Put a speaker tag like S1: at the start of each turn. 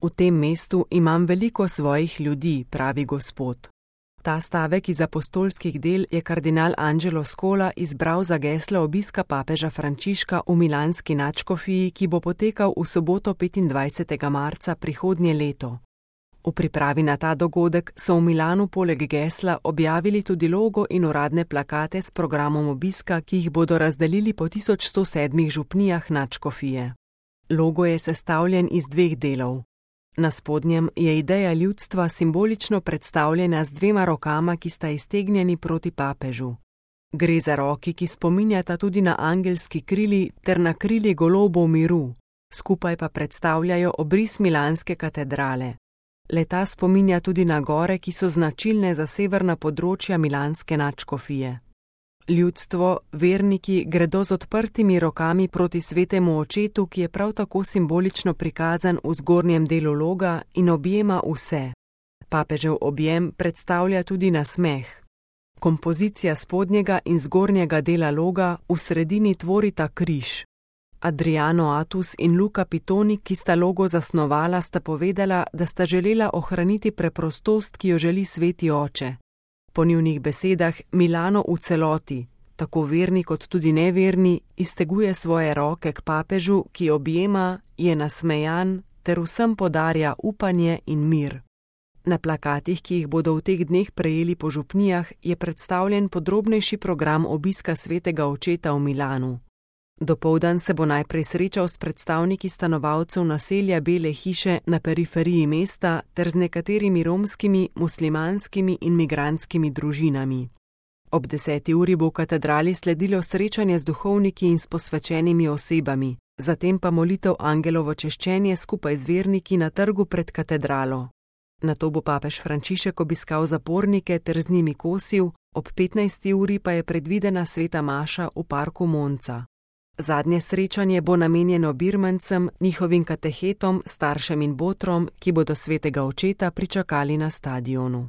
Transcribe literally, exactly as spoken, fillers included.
S1: V tem mestu imam veliko svojih ljudi, pravi Gospod. Ta stavek iz apostolskih del je kardinal Angelo Scola izbral za geslo obiska papeža Frančiška v milanski nadškofiji, ki bo potekal v soboto petindvajsetega marca prihodnje leto. V pripravi na ta dogodek so v Milanu poleg gesla objavili tudi logo in uradne plakate s programom obiska, ki jih bodo razdelili po tisoč sto sedmih župnijah nadškofije. Logo je sestavljen iz dveh delov. Na spodnjem je ideja ljudstva simbolično predstavljena z dvema rokama, ki sta iztegnjeni proti papežu. Gre za roki, ki spominjata tudi na angelski krili ter na krili golobov miru, skupaj pa predstavljajo obris milanske katedrale. Le-ta spominja tudi na gore, ki so značilne za severna področja milanske nadškofije. Ljudstvo, verniki, gredo z odprtimi rokami proti svetemu očetu, ki je prav tako simbolično prikazan v zgornjem delu loga in objema vse. Papežev objem predstavlja tudi nasmeh. Kompozicija spodnjega in zgornjega dela loga v sredini tvorita križ. Adriano Atus in Luca Pitoni, ki sta logo zasnovala, sta povedala, da sta želela ohraniti preprostost, ki jo želi sveti oče. Po njunih besedah Milano v celoti, tako verni kot tudi neverni, izteguje svoje roke k papežu, ki objema, je nasmejan ter vsem podarja upanje in mir. Na plakatih, ki jih bodo v teh dneh prejeli po župnijah, je predstavljen podrobnejši program obiska svetega očeta v Milanu. Dopoldan se bo najprej srečal s predstavniki stanovalcev naselja Bele hiše na periferiji mesta ter z nekaterimi romskimi, muslimanskimi in migrantskimi družinami. Ob deseti uri bo v katedrali sledilo srečanje z duhovniki in s posvečenimi osebami, zatem pa molitev angelovo češčenje skupaj z verniki na trgu pred katedralo. Nato bo papež Frančišek obiskal zapornike ter z njimi kosil, ob petnajsti uri pa je predvidena sveta maša v parku Monca. Zadnje srečanje bo namenjeno birmancem, njihovim katehetom, staršem in botrom, ki bodo svetega očeta pričakali na stadionu.